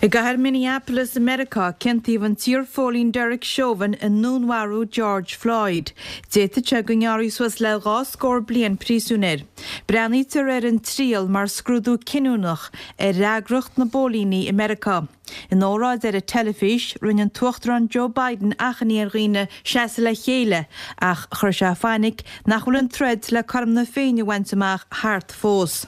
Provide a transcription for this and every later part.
I gcathair Minneapolis i Meiriceá, ciontaíodh an t-iarphóilín Derek Chauvin i ndúnmharú George Floyd. D'fhéadfadh sé go ngearrfaí suas le 2 scór bliain príosúin air. Breathnaítear ar an triail mar scrúdú cinniúnach ar fhreagracht na bpóilíní i Meiriceá. In óráid ar an teilifís, rinne an tUachtarán Joe Biden achainí ar dhaoine seasamh le chéile ach chuir sé fainic nach bhfuil an troid le cothrom na Féinne a bhaint amach thart fós.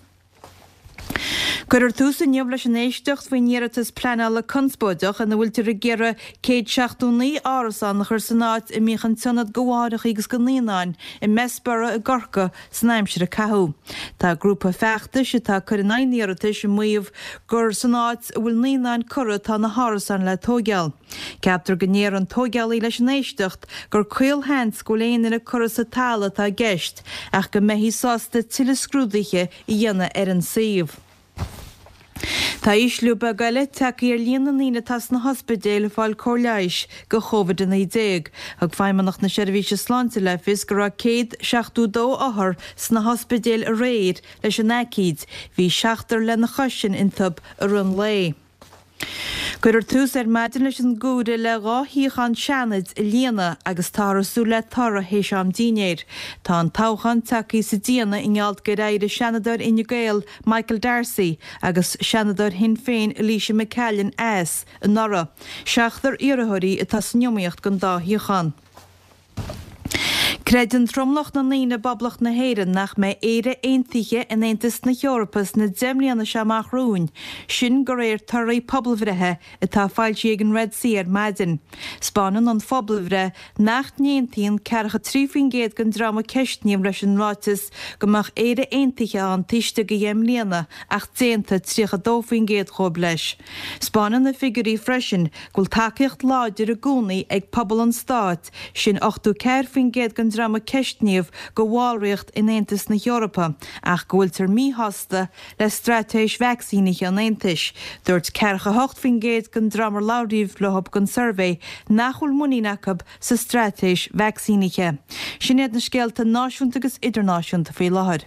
Cuirfear tús inniu leis an éisteacht faoin iarratas pleanála conspóideach ina bhfuiltear ag iarraidh 179 árasán a chur san áit a mbíodh an t-ionad do mháithreacha agus do naíonáin i mBessborough i gCorcaigh san aimsir a caitheadh. Tá grúpa feachtais atá ag cur in aghaidh an iarratais ag maíomh gur san áit a bhfuil naíonáin curtha atá na hárasáin le tóigeáil. Ceaptar go ndéarfaidh an tóigeálaí leis an éisteacht gur caolsheans go bhfuil aon duine curtha sa talamh atá i gceist ach go mbeifí sásta tuilleadh scrúduithe a dhéanamh ar an suíomh. Tá ísliú beag eile tagtha ar líon na ndaoine atá sna hospidéil ag fáil cóir leighis do Covid-19. Thug Feidhmeannacht na Seirbhíse Sláinte le fios go raibh 172 othar sna hospidéil aréir leis an aicíd. Bhí seachtar lena chois sin iontu i rith an lae. Cuirfear tús ar maidin leis an gcomhaireamh le 2 shuíochán Seanaid a líonadh agus táthar ag súil le toradh théis am dínnéir. Tá an toghchán tagtha sa déanamh i ngeall gur éirigh Seanadóir Fhine Gael Michael D'Arcy agus Seanadóir Shinn Féin Elisha McCallion as anuraidh. Seachtar iarrthóirí atá san iomaíocht don dá shuíochán. Creideann tromlach na ndaoine i bPoblacht na hÉireann nach mbeidh Éire aontaithe in Aontas na hEorpa sna 10 mbliana seo amach romhainn, sin de réir torthaí pobalbhreithe atá foilsithe ag an Red C ar maidin. 'Spáineann an phobalbhreith nach n-aontaíonn ceathracha 3% den dream a ceistníodh leis an ráiteas go mbeadh Éire aontaithe ann taobh istigh de dheich mbliana ach d'aontaigh 32% dhóibh leis. 'Spáineann na figiúirí freisin go bhfuil tacaíocht láidir i gcónaí ag pobal an stáit, sin 84% den dream a ceistníodh, do bhallraíocht in Aontas na hEorpa ach go bhfuiltear míshásta le straitéis vacsaínithe an Aontais. Dúirt 48% den dream ar labhraíodh leo don suirbhé nach bhfuil muinín acu sa straitéis vacsaínithe. Sin iad na scéalta náisiúnta agus idirnáisiúnta faoi láthair.